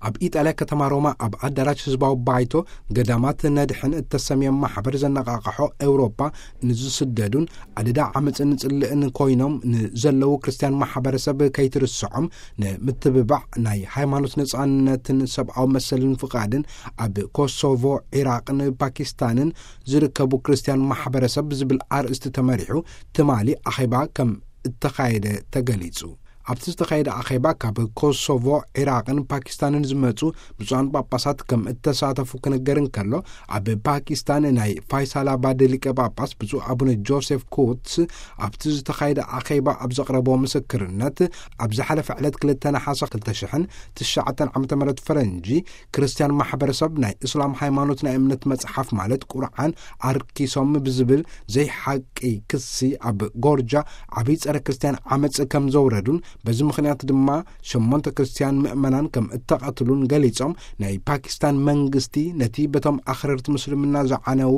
ኣብ ኢጣልያ ከተማ ሮማ ኣብ ኣዳራሽ ህዝባዊ ባይቶ ገዳማት ነድሕን እተሰምየ ማሕበር ዘነቓቕሖ፣ ኤውሮጳ ንዝስደዱን ኣደዳ ዓመፅን ጽልእን ኮይኖም ንዘለዉ ክርስትያን ማሕበረሰብ ከይትርስዖም ንምትብባዕ፣ ናይ ሃይማኖት ነጻነትን ሰብኣዊ መሰልን ፍቓድን ኣብ ኮሶቮ፣ ዒራቕን ፓኪስታንን ዝርከቡ ክርስትያን ማሕበረሰብ ዝብል ኣርእስቲ ተመሪሑ ትማሊ ኣኼባ ከም እተኻየደ ተገሊጹ። ኣብቲ ዝተኻየደ ኣኼባ ካብ ኮሶቮ፣ ዒራቕን ፓኪስታንን ዝመጹ ብፁዓን ጳጳሳት ከም እተሳተፉ ክንገር እንከሎ፣ ኣብ ፓኪስታን ናይ ፋይሳላባድ ሊቀ ጳጳስ ብፁዕ ኣቡነ ጆሴፍ ኩትስ ኣብቲ ዝተኻየደ ኣኼባ ኣብ ዘቕረቦ ምስክርነት፣ ኣብ ዝሓለፈ ዕለት ክልተ ነሓሰ ክልተ ሽሕን ትሽዓተን ዓመተ ምህረት ፈረንጂ፣ ክርስትያን ማሕበረሰብ ናይ እስላም ሃይማኖት ናይ እምነት መጽሓፍ ማለት ቁርዓን ኣርኪሶም ብዝብል ዘይሓቂ ክሲ ኣብ ጎርጃ ዓብይ ጸረ ክርስትያን ዓመጽ ከም ዘውረዱን፣ በዚ ምኽንያት ድማ ሸሞንተ ክርስትያን ምእመናን ከም እተቐትሉን ገሊጾም፣ ናይ ፓኪስታን መንግስቲ ነቲ በቶም ኣኽረርቲ ምስልምና ዝዓነዉ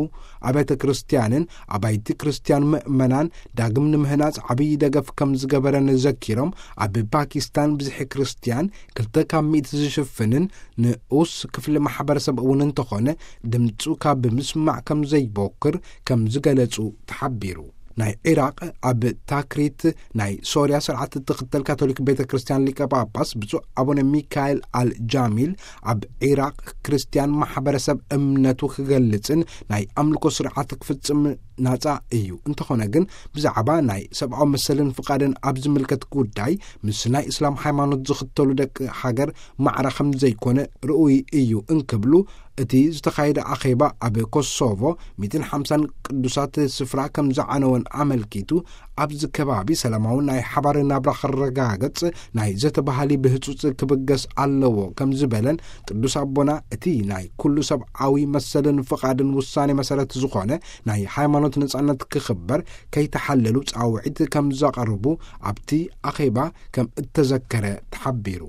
ኣብያተ ክርስትያንን ኣባይቲ ክርስትያን ምእመናን ዳግም ንምህናጽ ዓብይ ደገፍ ከም ዝገበረን ዘኪሮም፣ ኣብ ፓኪስታን ብዝሒ ክርስትያን ክልተ ካብ ሚእቲ ዝሽፍንን ንኡስ ክፍሊ ማሕበረሰብ እውን እንተኾነ፣ ድምፁ ካብ ምስማዕ ከም ዘይቦክር ከም ዝገለጹ ተሓቢሩ። ናይ ዒራቕ ኣብ ታክሪት ናይ ሶርያ ስርዓት እትኽተል ካቶሊክ ቤተ ክርስትያን ሊቀ ጳጳስ ብፁዕ ኣቡነ ሚካኤል ኣል ጃሚል፣ ኣብ ዒራቕ ክርስትያን ማሕበረሰብ እምነቱ ክገልጽን ናይ ኣምልኮ ስርዓት ክፍጽም ናጻ እዩ። እንተኾነ ግን፣ ብዛዕባ ናይ ሰብኣዊ መሰልን ፍቓድን ኣብ ዝምልከት ጉዳይ ምስ ናይ እስላም ሃይማኖት ዝኽተሉ ደቂ ሃገር ማዕረ ከም ዘይኮነ ርኡይ እዩ እንክብሉ፣ እቲ ዝተኻየደ ኣኼባ ኣብ ኮሶቮ ሚእትን ሓምሳን ቅዱሳት ስፍራ ከም ዝዓነወን ኣመልኪቱ፣ ኣብዚ ከባቢ ሰላማዊ ናይ ሓባር ናብራ ክረጋገጽ ናይ ዘተ ባህሊ ብህጹጽ ክብገስ ኣለዎ ከም ዝበለን፣ ቅዱስ ኣቦና እቲ ናይ ኩሉ ሰብኣዊ መሰልን ፍቓድን ውሳኔ መሰረት ዝኾነ ናይ ሃይማኖት ነጻነት ክኽበር ከይተሓለሉ ጻውዒት ከም ዘቐርቡ ኣብቲ ኣኼባ ከም እተዘከረ ተሓቢሩ።